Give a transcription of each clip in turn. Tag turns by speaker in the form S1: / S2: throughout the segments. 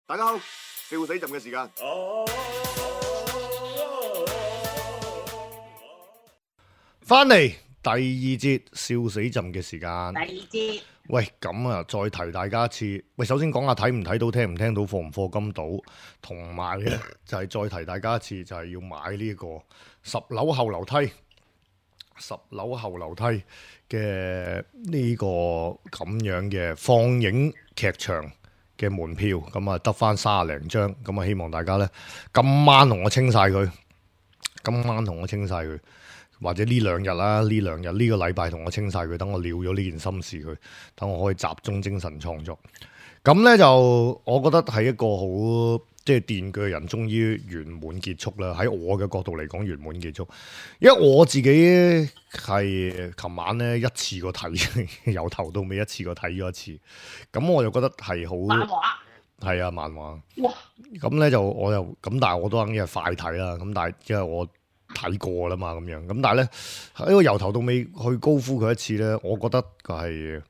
S1: 大家好，笑死朕嘅時間。翻嚟第二節笑死朕嘅時間。
S2: 第二節，
S1: 喂，咁啊，再提大家一次。喂，首先講下睇唔睇到、聽唔聽到、課唔課金到，同埋咧就係再提大家一次，就係要買呢個10樓後樓梯。10樓後樓梯嘅呢個咁樣嘅放映劇場嘅門票，咁啊得翻30零張，咁啊希望大家咧今晚同我清晒佢，或者呢兩日啦，呢個禮拜同我清晒佢，等我了咗呢件心事佢，等我可以集中精神創作。咁咧就我覺得係一個好即係電鋸人終於圓滿結束啦。喺我嘅角度嚟講圓滿結束，因為我自己係琴晚咧一次過睇，由頭到尾一次過睇咗一次，咁我就覺得係好
S2: 漫畫
S1: 係啊漫畫。
S2: 哇！
S1: 咁咧就我又咁，但係我都肯定係快睇啦。咁但係因為我睇過啦嘛，咁樣咁，但係咧喺個由頭到尾去高呼佢一次咧，我覺得係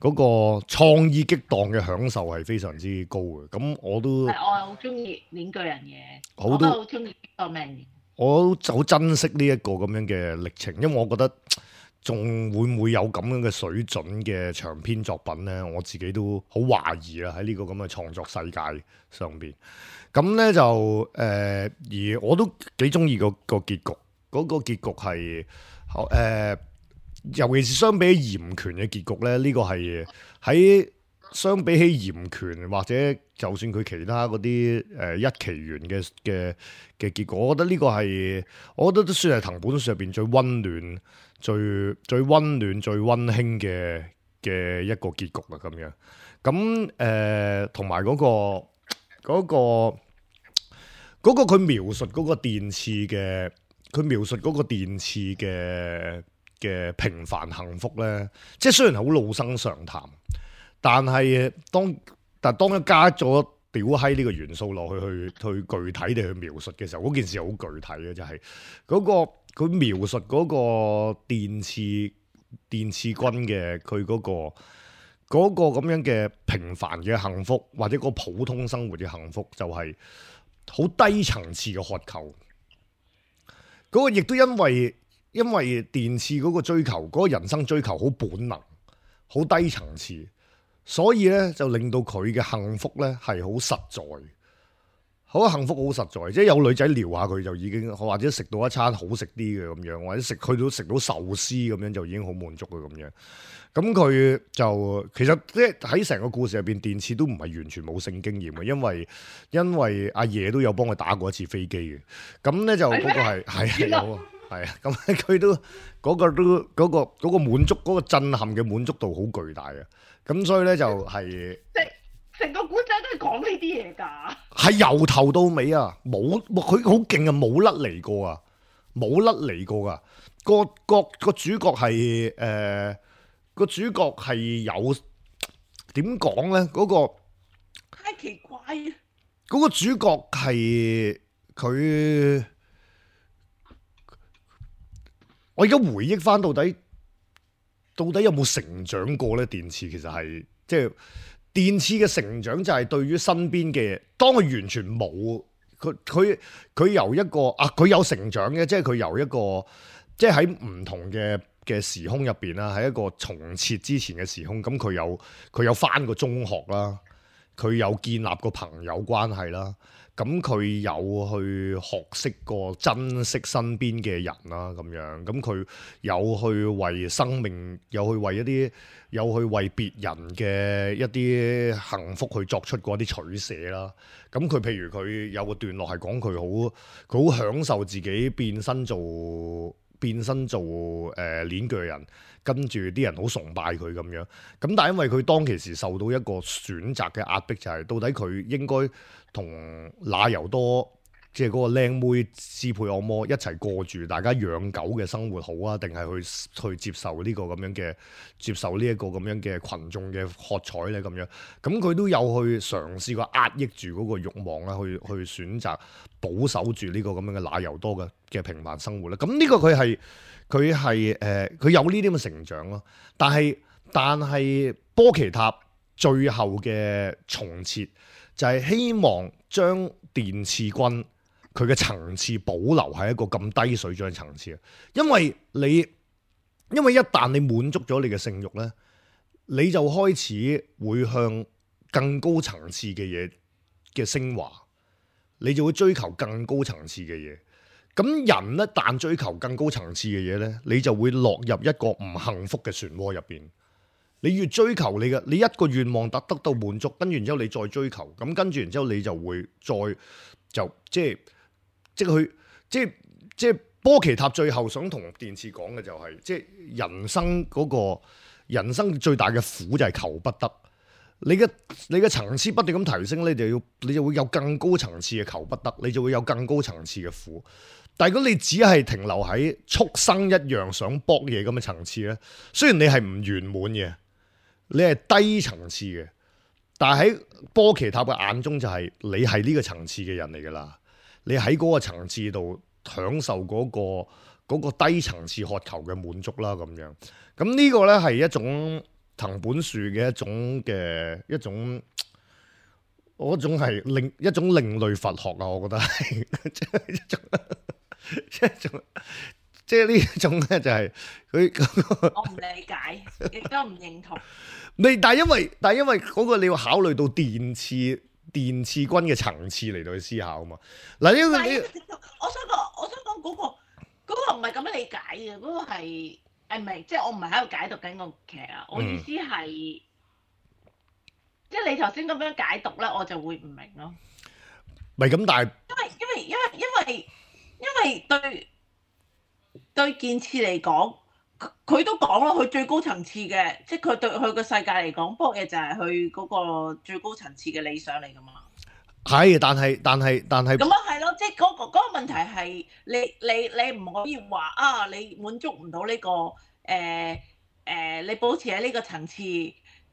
S1: 嗰個創意激盪嘅享受係非常之高嘅。咁我都
S2: 係我係好中意鏈鋸人嘅，
S1: 好
S2: 我都好中意個命。
S1: 我都好珍惜呢一個咁樣嘅歷程，因為我覺得仲會唔會有咁樣嘅水準嘅長篇作品咧？我自己都好懷疑啦，喺呢個咁嘅創作世界上邊。咁咧就而我都幾中意個結局，嗰個結局係尤其是相比起嚴權嘅結局咧，呢個係喺相比起嚴權或者就算佢其他嗰啲一期元嘅結果，我覺得呢個係我覺得都算係藤本樹入邊最溫暖、最溫暖、最溫馨嘅一個結局啦。咁樣咁同埋嗰個佢描述嗰個電刺嘅，佢描述嗰個電刺嘅平凡幸福咧，即係雖然好老生常談，但係當一加咗屌閪呢個元素落去具體地去描述嘅時候，嗰件事好具體嘅，就係嗰個佢描述嗰個電刺軍嘅佢嗰個咁樣嘅平凡嘅幸福，或者個普通生活嘅幸福，就係好低層次嘅渴求。嗰個亦都因為電刺嗰個追求，嗰個人生追求好本能、好低層次，所以咧就令到佢嘅幸福咧係好實在，好幸福好實在。即係有女仔撩下佢就已經，或者食到一餐好食啲嘅咁樣，或者食到壽司咁樣就已經好滿足嘅咁樣。咁佢就其實即係喺成個故事入邊，電刺都唔係完全冇性經驗嘅，因為阿爺都有幫佢打過一次飛機嘅。咁咧就嗰個係有。係啊，咁佢都嗰個滿足，嗰個震撼嘅滿足度好巨大啊！咁所以咧就係
S2: 成個古仔都係講呢啲嘢㗎。
S1: 係由頭到尾啊，佢好勁啊，冇甩離過啊，冇甩離過噶。個主角係個主角係有點講咧？嗰個
S2: 太奇怪啊！
S1: 嗰個主角係佢。我而家回憶翻到底有冇成長過咧？電刺其實係即係電刺嘅成長就係對於身邊嘅，當佢完全冇佢由一個佢有成長嘅，即係佢由一個即係喺唔同嘅時空入邊啦，喺一個重設之前嘅時空，咁佢有翻個中學啦，佢有建立個朋友關係啦。咁佢有去學識過珍惜身邊嘅人啦，咁樣咁佢有去為生命，有去為別人嘅一啲幸福去作出過一啲取捨啦。咁佢譬如佢有個段落係講佢好享受自己變身做鏈鋸人，跟住啲人好崇拜佢咁樣。咁但係因為佢當其時受到一個選擇嘅壓迫，就係到底佢應該同那由多即係嗰個靚妹斯佩惡魔一齊過住大家養狗嘅生活好啊，定係去接受呢個咁樣嘅群眾嘅喝彩咧咁樣？咁佢都有去嘗試過壓抑住嗰個慾望啦，去選擇保守住呢個咁樣嘅那由多嘅平凡生活咧。咁呢個佢有呢啲咁嘅成長咯。但係波奇塔最後嘅重設就係希望將電刺軍佢嘅層次保留喺一個咁低水準嘅層次，因為一旦你滿足咗你嘅性慾呢，你就開始會向更高層次嘅嘢嘅升華，你就會追求更高層次嘅嘢。咁人一旦追求更高層次嘅嘢呢，你就會落入一個唔幸福嘅漩渦入邊。你越追求你一個願望得到滿足，跟住然之後你再追求，咁跟住然之後你就會即係波奇塔最後想同電刺講嘅就係、即係人生最大嘅苦就係求不得。你嘅層次不斷咁提升，你就會有更高層次嘅求不得，你就會有更高層次嘅苦。但係如果你只係停留喺畜生一樣想搏嘢咁嘅層次咧，雖然你係唔圓滿嘅，你係低層次嘅，但係喺波奇塔嘅眼中就係你係呢個層次嘅人嚟噶啦，你喺嗰個層次度享受嗰個低層次渴求嘅滿足啦，咁樣。咁呢個咧係一種藤本樹嘅一種係一種另類佛學啊，我覺得係即係呢種咧就係佢
S2: 我唔理解，亦都唔認同。
S1: 但係因為嗰個你要考慮到電刺軍嘅層次嚟到去思考啊嘛。嗱，呢個
S2: 我想講嗰個唔係咁樣理解嘅，嗰個係唔係即係我唔係喺度解讀緊個劇啊。我意思係即係你頭先咁樣解讀咧，我就會唔明咯。
S1: 唔係咁，但係
S2: 因為對健次嚟講，佢都講咯，佢最高層次嘅，即係佢對佢個世界嚟講，搏嘢就係佢嗰個最高層次嘅理想嚟噶嘛。
S1: 係，但係
S2: 咁啊係咯，即係嗰個問題係你唔可以話啊，你滿足唔到呢個你保持喺呢個層次，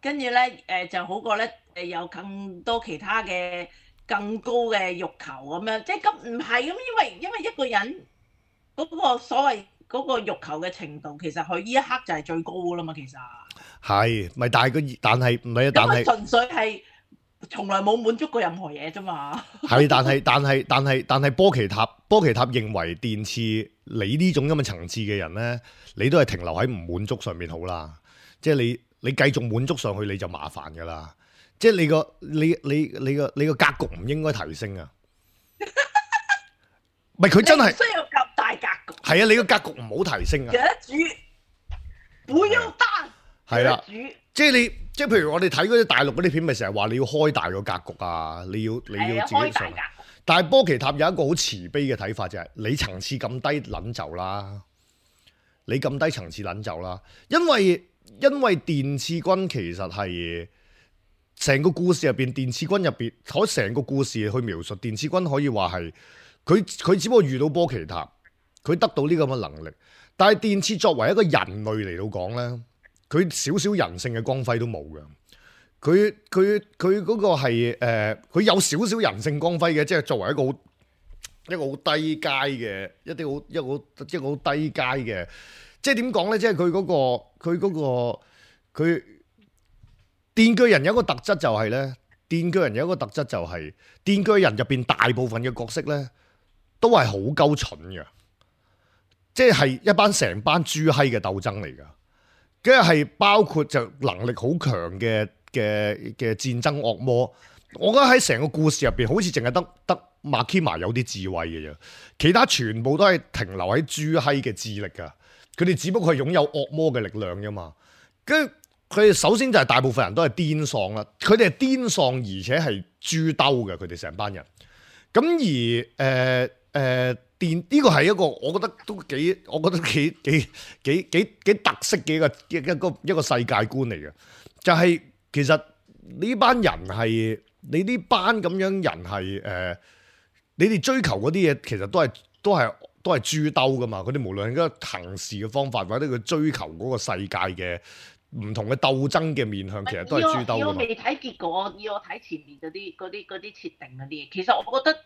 S2: 跟住咧就好過咧有更多其他嘅更高嘅欲求咁樣，即係咁唔係咁，因為一個人嗰個所謂嗰個欲求嘅程度，其實佢呢一刻就係最高噶啦嘛，其實
S1: 係咪？但係唔係啊？但係
S2: 純粹係從來冇滿足過任何嘢啫嘛。
S1: 係，但係波奇塔認為電刺你呢種咁嘅層次嘅人咧，你都係停留喺唔滿足上面好啦。即係你繼續滿足上去你就麻煩噶啦。即係你個格局唔應該提升啊。唔係佢真係
S2: 需要咁大格局。
S1: 係啊，你個格局唔好提升啊。
S2: 不要大。
S1: 係啦，即係譬如我哋睇嗰啲大陸嗰啲片，咪成日話你要開大個格局啊，你要自己上。但係波奇塔有一個好慈悲嘅睇法，就係你層次咁低撚就啦，你咁低層次撚就啦，因為電刺軍其實係成個故事入邊，電刺軍入邊可成個故事去描述電刺軍可以話係佢只不過遇到波奇塔，佢得到呢咁嘅能力，但係電刺作為一個人類嚟到講咧，佢少少人性嘅光輝都冇嘅。佢嗰個係佢有少少人性光輝嘅，即係作為一個好低階嘅一個好低階嘅，即係點講咧？即係佢電鋸人有一個特質就係咧，電鋸人入邊大部分嘅角色咧都係好鳩蠢嘅，即係成班豬閪嘅鬥爭嚟噶，跟住係包括就能力好強嘅戰爭惡魔。我覺得喺成個故事入邊，好似淨係得馬基瑪有啲智慧嘅啫，其他全部都係停留喺豬閪嘅智力噶。佢哋只不過係擁有惡魔嘅力量啫嘛。跟住佢哋首先就係大部分人都係癲喪啦，佢哋係癲喪而且係豬兜嘅，佢哋成班人。咁而電呢個係一個我覺得幾特色嘅一個世界觀嚟嘅，就係其實呢班人係你呢班咁樣人係你哋追求嗰啲嘢，其實都係豬兜噶嘛。佢哋無論係個行事嘅方法，或者佢追求嗰個世界嘅唔同嘅鬥爭嘅面向，其實都係豬兜噶嘛。
S2: 我未睇結果，以我睇前面嗰啲設定嗰啲嘢，其實我覺得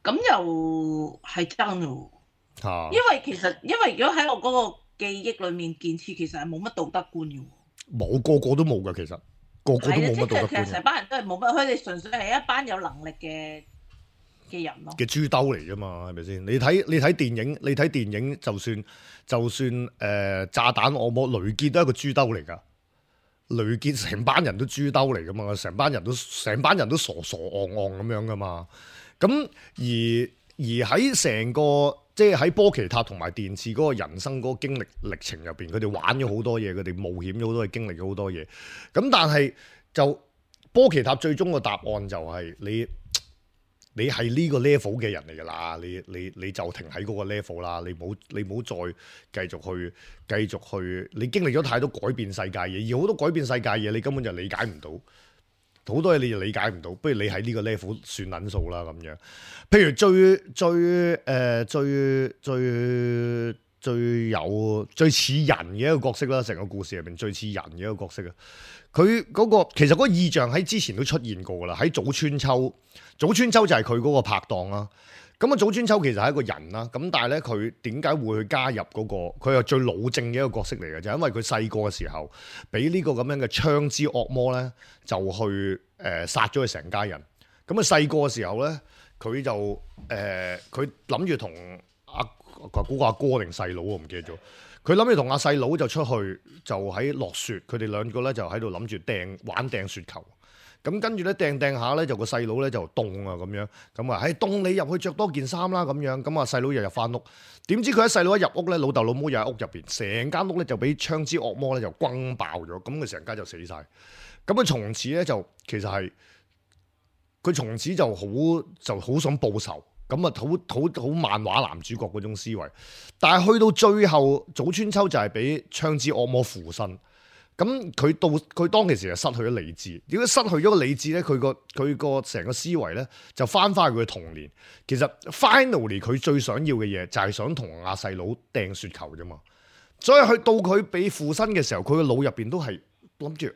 S2: 咁又係真喎。因為如果喺我嗰個記憶裡面，健次其實係冇乜道德觀嘅喎。
S1: 冇，個個都冇㗎，其實個個都冇乜道德
S2: 其實
S1: 觀
S2: 成班人都係冇乜，佢哋純粹係一班有能力嘅人咯。
S1: 嘅豬兜嚟啫嘛，係咪先？你睇電影，就算炸彈惡魔雷傑都係一個豬兜嚟㗎。雷傑成班人都豬兜嚟㗎嘛，成班人都傻傻戇戇咁樣㗎嘛。咁而喺成個即係喺波奇塔同埋電次嗰個人生嗰個經歷歷程入邊，佢哋玩咗好多嘢，佢哋冒險咗好多嘢，經歷咗好多嘢。咁但係就波奇塔最終個答案就係你係呢個 level 嘅人嚟㗎啦，你就停喺嗰個 level 啦，你唔好再繼續去，你經歷咗太多改變世界嘢，而好多改變世界嘢你根本就理解唔到，好多嘢你就理解唔到，不如你喺呢個 level 算撚數啦咁樣。譬如最似人嘅一個角色啦，成個故事入邊最似人嘅一個角色啊！佢嗰個其實嗰個意象喺之前都出現過噶啦，喺早川秋就係佢嗰個拍檔啦。咁啊，早川秋其實係一個人啦，咁但係咧佢點解會去加入嗰個？佢係最老正嘅一個角色嚟嘅，就係因為佢細個嘅時候俾呢個咁樣嘅槍之惡魔咧，就去殺咗佢成家人。咁啊細個嘅時候咧，佢就佢諗住同嗰個阿哥定細佬我唔記得咗。佢諗住同阿細佬就出去，就喺落雪，佢哋兩個咧就喺度諗住掟雪球。咁跟住咧掟下咧，就個細佬咧就凍啊咁樣。咁啊，凍你入去着多件衫啦咁樣。咁啊細佬又入翻屋，點知佢喺細佬一入屋咧，老豆老母又喺屋入邊，成間屋咧就俾槍支惡魔咧就轟爆咗。咁佢成家就死晒。咁啊從此咧就其實係佢從此就好想報仇。咁啊，好漫畫男主角嗰種思維，但係去到最後，早川秋就係俾槍支惡魔附身。咁佢當其時就失去咗理智。如果失去咗個理智咧，佢個成個思維咧就翻返去佢嘅童年。其實 finally 佢最想要嘅嘢就係想同阿細佬掟雪球啫嘛。所以去到佢俾附身嘅時候，佢個腦入邊都係諗住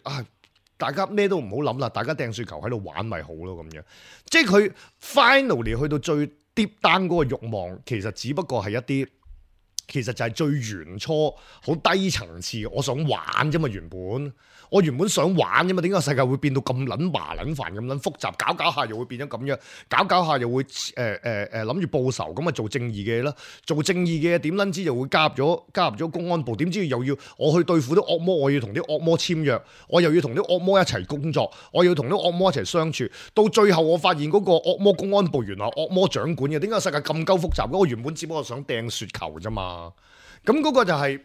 S1: 大家咩都唔好諗啦，大家掟雪球喺度玩咪好咯咁樣。即係佢 finally 去到最 deep down 嗰個慾望，其實只不過係一啲，其實就係最原初好低層次，我想玩啫嘛。我原本想玩啫嘛，點解世界會變到咁撚麻撚煩咁撚複雜？搞下又會變咗咁樣，搞下又會諗住報仇，咁啊做正義嘅嘢啦，做正義嘅嘢點撚知就會加入咗公安部，點知又要我去對付啲惡魔，我要同啲惡魔簽約，我又要同啲惡魔一齊工作，我要同啲惡魔一齊相處，到最後我發現嗰個惡魔公安部原來惡魔掌管嘅，點解世界咁鳩複雜？我原本只不過想掟雪球啫嘛。咁嗰個就係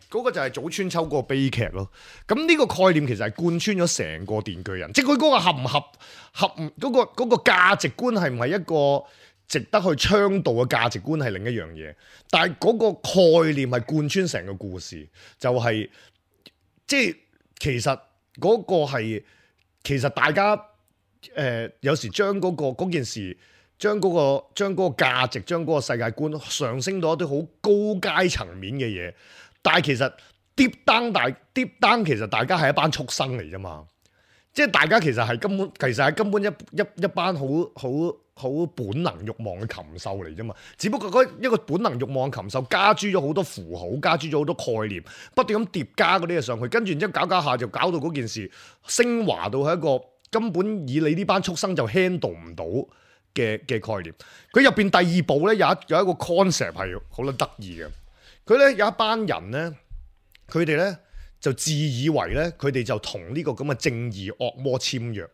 S1: 早川秋嗰個悲劇咯。咁呢個概念其實係貫穿咗成個電鋸人，即係佢嗰個合唔合嗰個價值觀係唔係一個值得去倡導嘅價值觀係另一樣嘢，但係嗰個概念係貫穿成個故事，就係即係其實嗰個係其實大家有時將嗰件事。將嗰個價值，將嗰個世界觀上升到一啲好高階層面嘅嘢，但係其實 deep down 其實大家係一班畜生嚟啫嘛，即係大家其實係根本一班好本能慾望嘅禽獸嚟啫嘛，只不過嗰一個本能慾望嘅禽獸加諸咗好多符號，加諸咗好多概念，不斷咁疊加嗰啲嘢上去，跟住然之後搞下就搞到嗰件事升華到係一個根本以你呢班畜生就 handle 唔到嘅概念。佢入邊第二部咧有一個 concept 係好撚得意嘅。佢咧有一班人咧，佢哋咧就自以為咧佢哋就同呢個咁嘅正義惡魔簽約。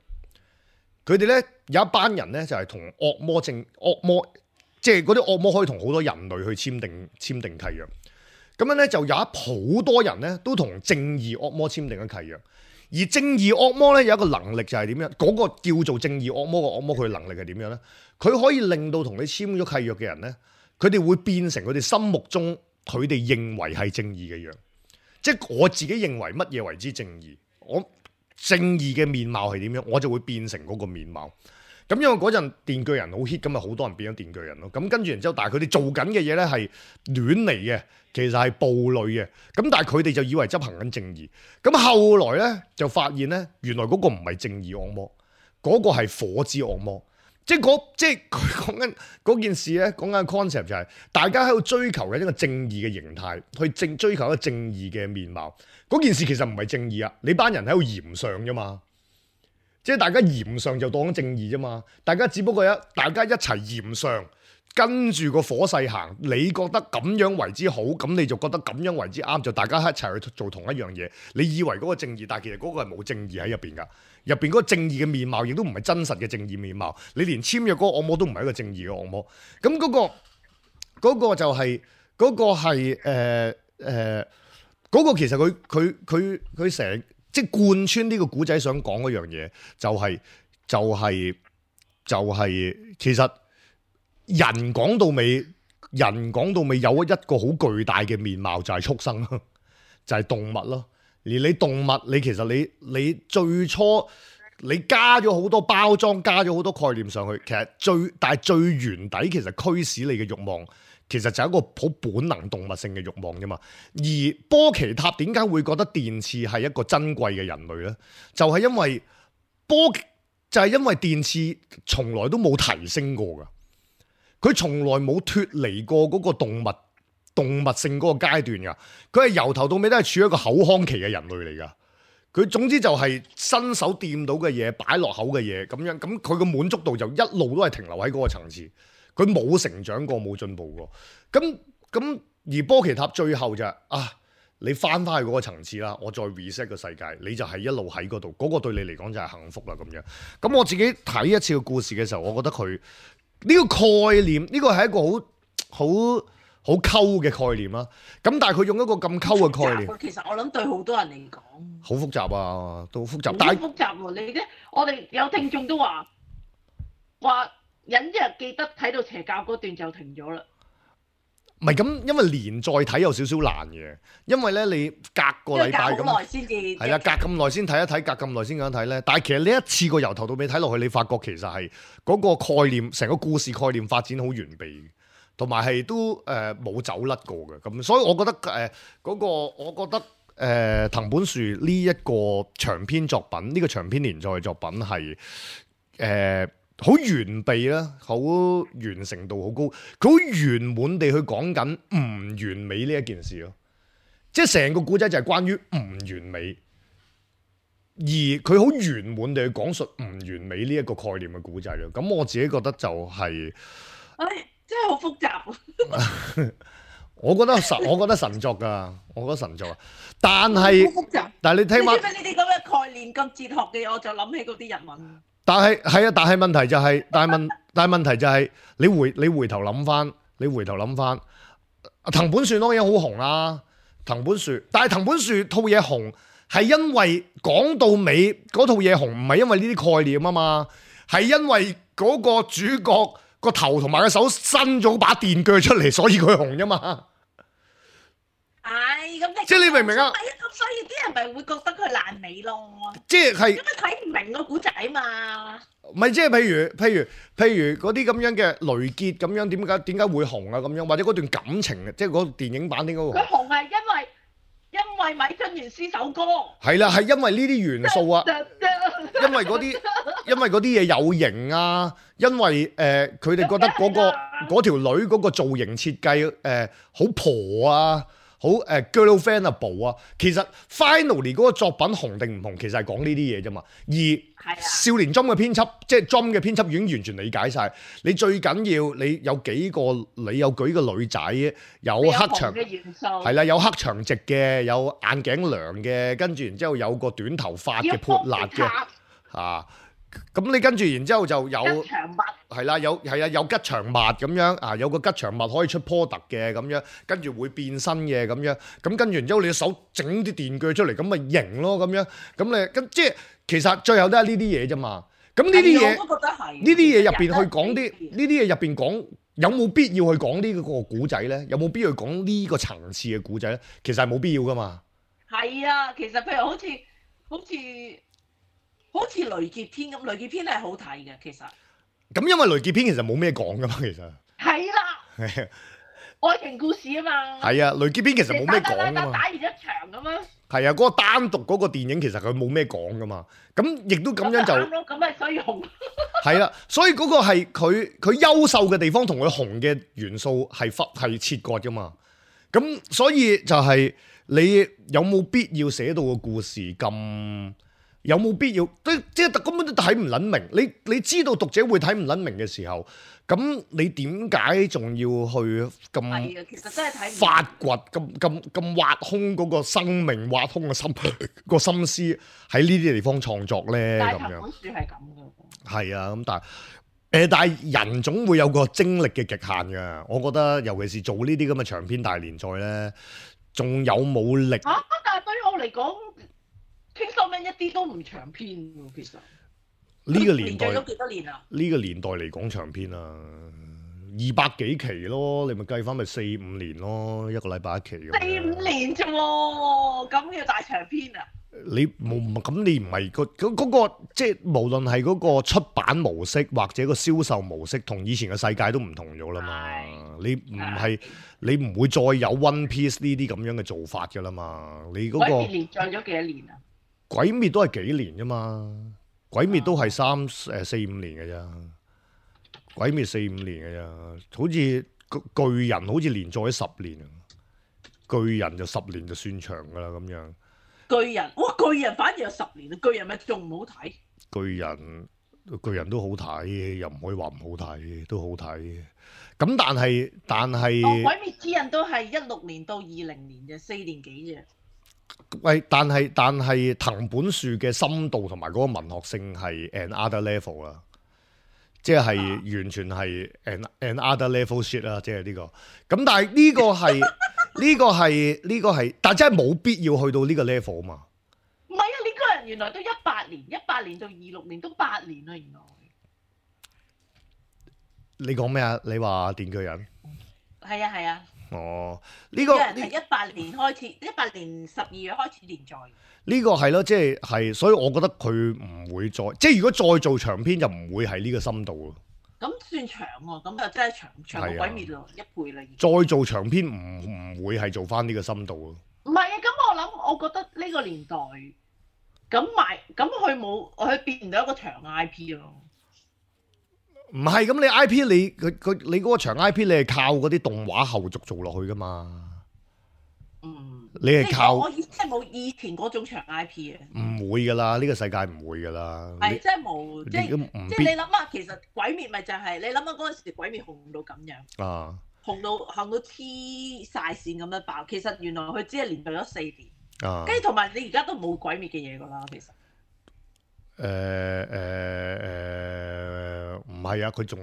S1: 佢哋咧有一班人咧就係同惡魔，即係嗰啲惡魔可以同好多人類去簽訂契約。咁樣咧就有好多人咧都同正義惡魔簽訂咗契約。而正義惡魔咧有一個能力就係點樣？嗰個叫做正義惡魔嘅惡魔，佢嘅能力係點樣咧？佢可以令到同你簽咗契約嘅人咧，佢哋會變成佢哋心目中佢哋認為係正義嘅樣。即係我自己認為乜嘢為之正義？我正義嘅面貌係點樣？我就會變成嗰個面貌。咁因為嗰陣電鋸人好 hit，咁咪好多人變咗電鋸人咯。咁跟住然之後，但係佢哋做緊嘅嘢咧係亂嚟嘅，其實係暴戾嘅。咁但係佢哋就以為執行緊正義。咁後來咧就發現咧，原來嗰個唔係正義惡魔，嗰個係火之惡魔。即係佢講緊嗰件事咧，講緊 concept 就係大家喺度追求嘅一個正義嘅形態，去追求一個正義嘅面貌。嗰件事其實唔係正義啊，你班人喺度嫌上啫嘛。即係大家嫌上就當正義啫嘛，大家只不過大家一齊嫌上，跟住個火勢行，你覺得咁樣為之好，咁你就覺得咁樣為之啱，就大家一齊去做同一樣嘢。你以為嗰個正義，但係其實嗰個係冇正義喺入邊㗎。入邊嗰個正義嘅面貌，亦都唔係真實嘅正義面貌。你連簽約嗰個按摩都唔係一個正義嘅按摩。咁嗰個就係嗰個係嗰個其實佢成即係貫穿呢個古仔想講嗰樣嘢，就係其實人講到尾有一個好巨大嘅面貌就係畜生咯，就係動物咯。而你動物，你其實你最初你加咗好多包裝，加咗好多概念上去，其實但係最原底其實驅使你嘅慾望，其實就係一個好本能動物性嘅慾望啫嘛。而波奇塔點解會覺得電刺係一個珍貴嘅人類呢？就係因為電刺從來都冇提升過㗎，佢從來冇脫離過嗰個動物性嗰個階段㗎，佢係由頭到尾都係處於一個口腔期嘅人類嚟㗎。佢總之就係伸手掂到嘅嘢，擺落口嘅嘢咁樣，咁佢個滿足度就一路都係停留喺嗰個層次，佢冇成長過，冇進步過。咁而波奇塔最後就係你翻返去嗰個層次啦，我再 reset 個世界，你就係一路喺嗰度，嗰個對你嚟講就係幸福啦咁樣。咁我自己睇一次個故事嘅時候，我覺得佢呢個概念，呢個係一個好溝嘅概念啦。咁但係佢用一個咁溝嘅概念，
S2: 其實我諗對好多人嚟講
S1: 好複雜啊，都複雜。
S2: 但係複雜喎，你咧，我哋有聽眾都話忍一日記得睇到邪教嗰段就停咗啦。唔
S1: 係咁，因為連載睇有少少難嘅，因為咧你隔個禮拜咁，係啦，隔咁耐先睇一睇，隔咁耐先咁睇咧。但係其實你一次過由頭到尾睇落去，你發覺其實係嗰個概念，成個故事概念發展好完備，同埋係都冇走甩過嘅。咁所以我覺得我覺得藤本樹呢一個長篇作品，呢個長篇連載嘅作品係好完備啦，好完成度好高，佢好圓滿地去講緊唔完美呢一件事咯，即係成個古仔就係關於唔完美，而佢好圓滿地去講述唔完美呢一個概念嘅古仔咯。咁我自己覺得就係，
S2: 真係好複雜。
S1: 我覺得神作㗎，我覺得神作啊，但係你聽翻
S2: 呢啲咁嘅概念咁哲學嘅嘢，我就諗起嗰啲日文。
S1: 但係問題就係，但係問題就係，你回頭諗翻，藤本樹當然好紅啦，藤本樹套嘢紅係因為講到尾嗰套嘢紅，唔係因為呢啲概念啊嘛，係因為嗰個主角個頭同埋個手伸咗把電鋸出嚟，所以佢紅啫嘛。
S2: 咁
S1: 即係你明唔明啊？
S2: 咁所以啲人咪會覺得佢爛尾咯。
S1: 即係
S2: 因為睇唔明個古仔嘛。
S1: 唔係，即係譬如嗰啲咁樣嘅雷傑咁樣，點解會紅啊？咁樣或者嗰段感情，即係嗰個電影版點解會紅？
S2: 佢紅係因為米津玄師首歌。係
S1: 啦，係因為呢啲元素啊，因為嗰啲嘢有型啊，因為佢哋覺得嗰條女嗰個造型設計好婆啊。好girlfriendable 啊，其實 finally 嗰個作品紅定唔紅，其實係講呢啲嘢啫嘛。而少年 Jump 嘅編輯，即係 Jump 嘅編輯已經完全理解晒。你最緊要你有幾個，你有幾個女仔，有黑長嘅元素，係啦，有黑長直嘅，有眼鏡娘嘅，跟住然之後有個短頭髮嘅潑辣嘅嚇。咁你跟住然之後就有吉祥物，係啦，有吉祥物咁樣啊，有個吉祥物可以出 product 嘅咁樣，跟住會變身嘅咁樣，咁跟住然之後你手整啲電鋸出嚟，咁咪型咯咁樣，咁你咁即係其實最後都係呢啲嘢啫嘛。咁呢啲嘢，呢啲嘢入邊去講啲，呢啲嘢入邊講有冇必要去講呢個古仔咧？有冇必要去講呢個層次嘅古仔咧？其實係冇必要噶嘛。係啊，其實譬如好似雷傑篇咁，雷傑篇係好睇嘅，其實。咁因為雷傑篇其實冇咩講噶嘛，其實。係啦。愛情故事啊嘛。係啊，雷傑篇其實冇咩講噶嘛。打完一場咁啊。係啊，嗰個單獨嗰個電影其實佢冇咩講噶嘛，咁亦都咁樣就。咁咪所以紅。係啦，所以嗰個係佢優秀嘅地方同佢紅嘅元素係切割噶嘛，咁所以就係你有冇必要寫到個故事咁？有冇必要？即係根本都睇唔撚明。你知道讀者會睇唔撚明嘅時候，咁你點解仲要去咁
S2: 係啊，其實真係睇唔明
S1: 發掘咁挖空嗰個生命、挖空個心個心思喺呢啲地方創作咧？
S2: 但係
S1: 咁樣
S2: 藤本樹係咁嘅。
S1: 係啊，咁但係人總會有個精力嘅極限㗎。我覺得尤其是做呢啲咁嘅長篇大連載咧，仲有冇力？
S2: 但係對我嚟講，傾收尾一啲都唔長篇喎，其實。
S1: 呢個年代
S2: 連載咗幾多年啊？
S1: 呢個年代嚟講長篇啊，200幾期咯，你咪計翻咪4-5年咯，一個禮拜一期咁。
S2: 4-5年啫喎，咁要大長篇啊？
S1: 你冇咁，你唔係嗰個即係無論係嗰個出版模式或者個銷售模式，同以前嘅世界都唔同咗啦嘛。你唔會再有 One Piece 呢啲咁樣嘅做法噶啦嘛。你嗰個
S2: 鬼滅連載咗幾多年啊？
S1: 鬼滅都係幾年啫嘛。鬼滅都係4-5年嘅啫。鬼滅4-5年嘅啫。好似巨人好似連載咗10年啊。巨人就10年就算長噶啦咁樣。
S2: 巨人反而有10年啊！巨人咪仲唔好睇？
S1: 巨人都好睇，又唔可以話唔好睇，都好睇。咁但係，
S2: 鬼滅之刃都係16年到20年啫，4年幾啫。
S1: 喂，但係藤本樹嘅深度同埋嗰個文學性係 another level 啦，即係完全係 another level shit 啦，即係呢個。咁但係呢個係呢個係，但真係冇必要去到呢個 level 啊嘛。
S2: 唔係啊，呢個人原來都18年到26年都8年啦，原來。
S1: 你講咩啊？你話電鋸人？
S2: 係啊係啊。
S1: 哦，呢個
S2: 人係18年開始，18年12月開始連載。
S1: 呢個係咯，即係，所以我覺得佢唔會再，即係如果再做長篇就唔會係呢個深度咯。
S2: 咁算長喎，咁就真係長過鬼滅咯，1倍啦。
S1: 再做長篇唔會係做翻呢個深度咯。
S2: 唔係啊，咁我覺得呢個年代咁佢變唔到一個長 IP 咯。
S1: 唔係咁，你 IP 你嗰個長 IP 你係靠嗰啲動畫後續做落去噶嘛？你係靠
S2: 我即係冇以前嗰種長 IP 啊。唔
S1: 會噶啦，呢個世界唔會噶啦。
S2: 係即係冇，即係你諗下，其實鬼滅咪就係你諗下嗰陣時鬼滅紅到咁樣啊，紅到黐晒線咁樣爆。其實原來佢只係連續咗4年啊，跟住同埋你而家都冇鬼滅嘅嘢噶啦，其實。
S1: 唔係啊，佢仲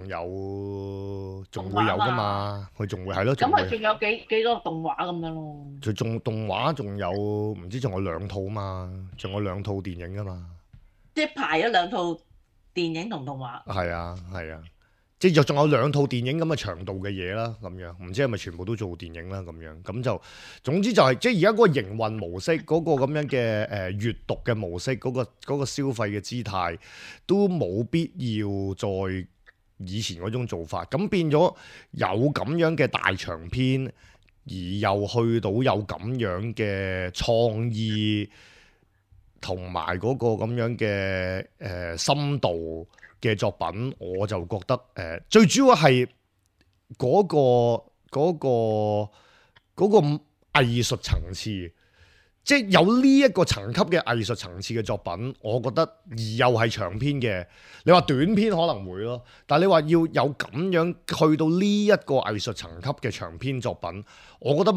S1: 會有噶嘛，佢仲會係咯。咁
S2: 佢仲有幾個動畫咁樣咯。
S1: 佢仲動畫仲有唔知仲有2套嘛，仲有2套電影噶嘛。
S2: 即係排咗2套電影同動畫。係
S1: 啊，即係仲有2套電影咁嘅長度嘅嘢啦，咁樣唔知係咪全部都做電影啦咁樣，咁就總之就係即係而家嗰個營運模式，嗰個咁樣嘅閱讀嘅模式，嗰個消費嘅姿態都冇必要再以前嗰種做法，咁變咗有咁樣嘅大長篇，而又去到有咁樣嘅創意同埋嗰個咁樣嘅深度嘅作品，我就覺得最主要係嗰個藝術層次，即係有呢一個層級嘅藝術層次嘅作品，我覺得而又係長篇嘅。你話短篇可能會咯，但係你話要有咁樣去到呢一個藝術層級嘅長篇作品，我覺得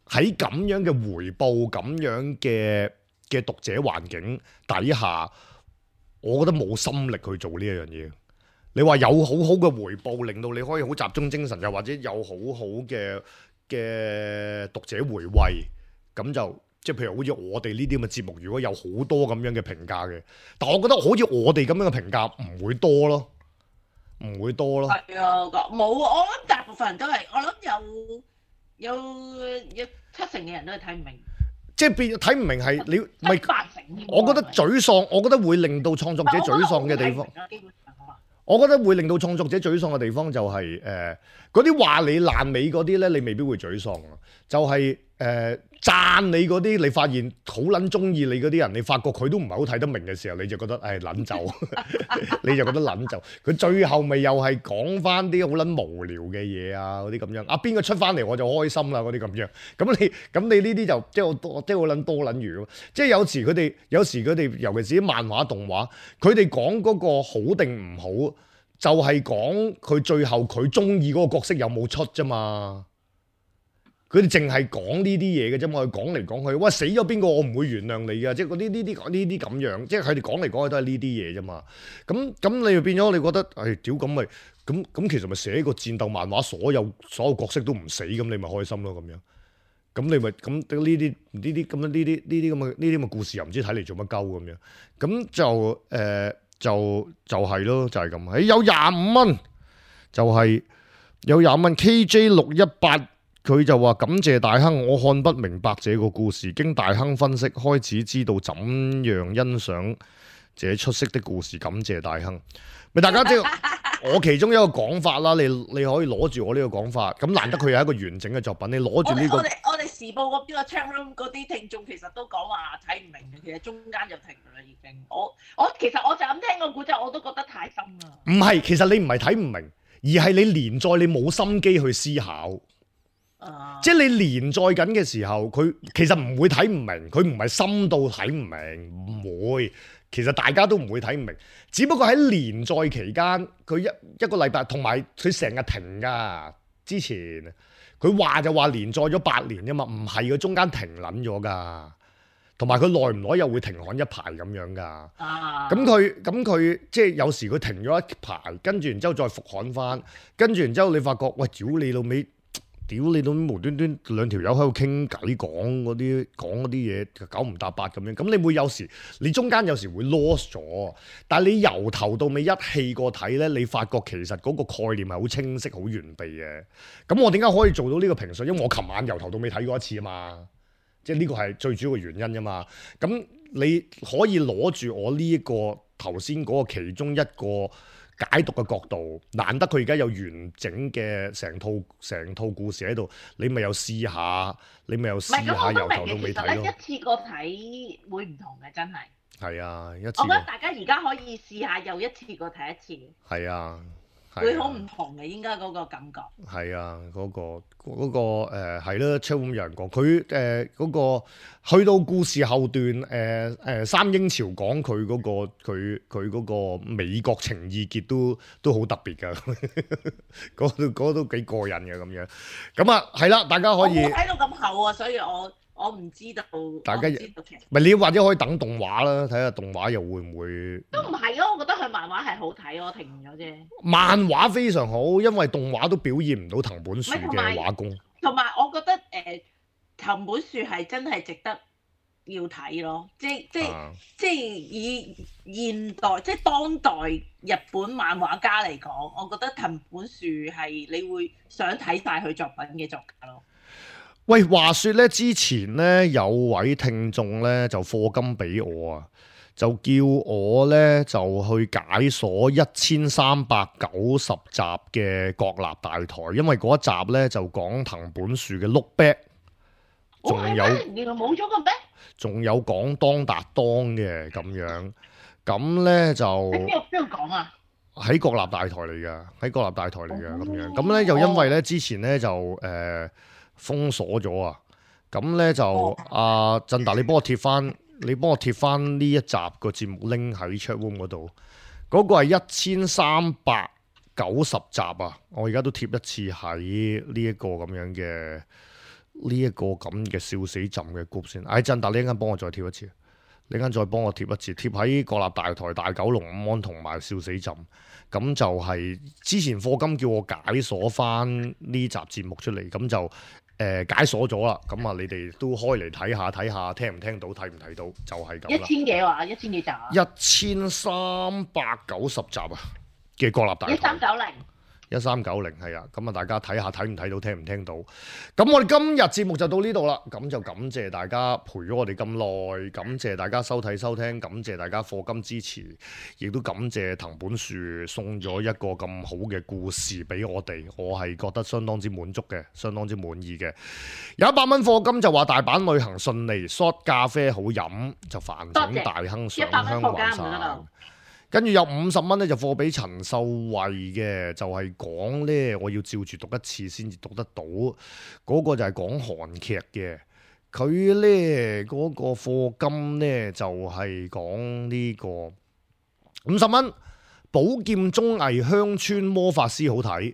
S1: 喺咁樣嘅回報、咁樣嘅讀者環境底下，我覺得冇心力去做呢一樣嘢。你話有好好嘅回報，令到你可以好集中精神，又或者有好好嘅讀者回味，咁就即係譬如好似我哋呢啲咁嘅節目，如果有好多咁樣嘅評價嘅，但我覺得好似我哋咁樣嘅評價唔會多咯，唔會多咯。係
S2: 啊，冇，我諗大部分人都係，我諗有7成嘅人都係睇唔明。即係
S1: 變睇唔明係你咪
S2: 8成。
S1: 我覺得沮喪，我覺得會令到創作者沮喪嘅地方。我覺得會令到創作者沮喪嘅地方就係嗰啲話你爛尾嗰啲咧，你未必會沮喪啊。就係讚你嗰啲，你發現好撚中意你嗰啲人，你發覺佢都唔係好睇得明嘅時候，你就覺得撚就，你就覺得撚就。佢最後咪又係講翻啲好撚無聊嘅嘢啊，嗰啲咁樣。邊個出翻嚟我就開心啦，嗰啲咁樣。咁你呢啲就即係好撚多撚餘咯。即係有時佢哋，尤其是啲漫畫動畫，佢哋講嗰個好定唔好，就係講佢最後佢中意嗰個角色有冇出啫嘛。佢哋淨係講呢啲嘢嘅啫嘛，佢講嚟講去，喂死咗邊個我唔會原諒你嘅，即係呢啲咁樣，即係佢哋講嚟講去都係呢啲嘢啫嘛。咁你就變咗你覺得，屌咁咪咁其實咪寫個戰鬥漫畫，所有角色都唔死，咁你咪開心咯咁樣。咁你咪咁呢啲咁嘅故事又唔知睇嚟做乜鳩咁樣。咁就係咯，就係咁。有25蚊，就係有20蚊 KJ618。佢就話感謝大亨，我看不明白這個故事，經大亨分析，開始知道怎樣欣賞這出色的故事。感謝大亨，咪大家知道我其中一個講法啦。你可以攞住我呢個講法，咁難得佢係一個完整嘅作品，你攞住呢個。
S2: 我哋時報嗰邊個 chat room 嗰啲聽眾其實都講話睇唔明嘅，其實中間就停啦已經。其實我就咁聽個故仔，我都覺得太深啦。唔係，
S1: 其實你唔係睇唔明，而係你連載你冇心機去思考。即係你連載緊嘅時候，佢其實唔會睇唔明，佢唔係深到睇唔明，唔會。其實大家都唔會睇唔明，只不過喺連載期間，佢一個禮拜，同埋佢成日停㗎。之前佢話就話連載咗8年啫嘛，唔係佢中間停撚咗㗎。同埋佢耐唔耐又會停刊一排咁樣㗎。咁佢即係有時佢停咗一排，跟住然之後再復刊翻，跟住然之後你發覺，喂，屌你老味！屌你都無端端兩條友喺度傾偈講嗰啲嘢九唔搭八咁樣，咁你會有時你中間有時會 lost 咗，但係你由頭到尾一氣過睇咧，你發覺其實嗰個概念係好清晰好完備嘅。咁我點解可以做到呢個評述？因為我琴晚由頭到尾睇過一次啊嘛，即係呢個係最主要嘅原因啫嘛。咁你可以攞住我呢一個頭先嗰個其中一個解讀嘅角度，難得佢而家有完整嘅成套故事喺度，你咪又試下由頭到尾睇咯。
S2: 一次過睇會唔同嘅，真係。
S1: 係啊，我
S2: 覺得大家而家可以試下又一次過睇一次。
S1: 係啊。
S2: 會好唔同嘅，應該嗰個感覺。係
S1: 啊，嗰個係啦，超咁有人講佢嗰個去到故事後段三英朝講佢嗰個美國情意結都好特別㗎，嗰都幾過癮嘅咁樣。咁啊係啦，大家可以。我冇睇到咁厚啊，所以我唔知道。大家唔係你或者可以等動畫啦，睇下動畫又會唔會？都唔係咯，我覺得佢漫畫係好睇，我停咗啫。漫畫非常好，因為動畫都表現唔到藤本樹嘅畫工。同埋我覺得藤本樹係真係值得要睇咯，即係以現代即係當代日本漫畫家嚟講，我覺得藤本樹係你會想睇晒佢作品嘅作家咯。喂，話說咧，之前咧有位聽眾咧就課金俾我啊，就叫我咧就去解鎖1390集嘅國立大台，因為嗰一集咧就講藤本樹嘅 Look Back， 仲有原來冇咗個咩？仲有講當達當嘅咁樣，咁咧就喺邊度講啊？喺國立大台嚟㗎，喺國立大台嚟㗎咁樣，咁咧又因為咧之前咧就封鎖咗啊！咁咧就阿振達，你幫我貼翻呢一集個節目拎喺 chat room 嗰度。嗰個係1390集啊！我而家都貼一次喺呢一個咁樣嘅笑死朕嘅 group 先。振達，你一陣間幫我再貼一次，你一陣間再幫我貼一次，貼喺國立大台、大九龍午安同埋笑死朕。咁就係之前課金叫我解鎖翻呢集節目出嚟，咁就解鎖咗啦。咁啊，你哋都開嚟睇下，聽唔聽到，睇唔睇到，就係咁啦。1000幾話，1000幾集啊？1390集啊嘅國立大台。1390係啊，咁啊大家睇下睇唔睇到，聽唔聽到？咁我哋今日節目就到呢度啦，咁就感謝大家陪咗我哋咁耐，感謝大家收睇收聽，感謝大家課金支持，亦都感謝藤本樹送咗一個咁好嘅故事俾我哋，我係覺得相當之滿足嘅，相當之滿意嘅。有100蚊課金就話大阪旅行順利 ，shot 咖啡好飲，就飯整大亨上香還散。跟住有50蚊咧就貨俾陳秀慧嘅，就係講呢，我要照住讀一次先至讀得到，嗰個就係講韓劇嘅，佢呢嗰個課金呢，就係講呢個50蚊，寶劍綜藝鄉村魔法師好睇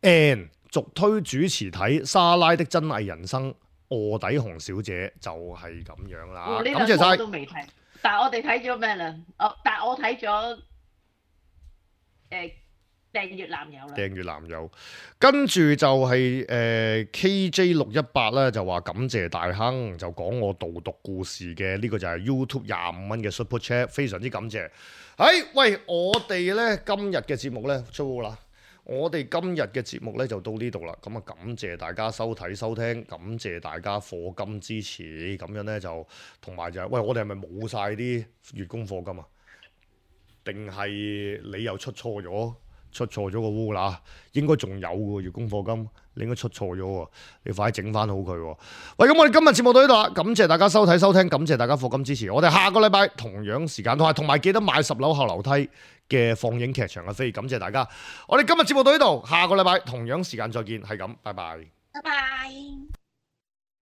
S1: ，and 續推主持睇莎拉的真偽人生，臥底紅小姐就係咁樣啦，感謝晒。
S2: 都未睇。但係我哋睇咗咩啦？但係我睇咗訂閱男友啦。訂閱男友，
S1: 跟住就係KJ618咧，就話感謝大亨，就講我導讀故事嘅，呢個就係 YouTube 25蚊嘅 Super Chat， 非常之感謝。喂，我哋咧今日嘅節目咧出啦。我哋今日嘅節目咧就到呢度啦，咁啊感謝大家收睇收聽，感謝大家課金支持，咁樣咧就同埋就係，喂，我哋係咪冇晒啲月供課金啊？定係你又出錯咗個烏啦？應該仲有喎月供課金，你應該出錯咗喎，你快啲整翻好佢喎。喂，咁我哋今日節目到呢度啦，感謝大家收睇收聽，感謝大家課金支持，我哋下個禮拜同樣時間同埋記得買10樓後樓梯嘅放映劇場嘅飛，感謝大家。我哋今日節目到呢度，下個禮拜同樣時間再見，係咁，拜拜。
S2: 拜拜。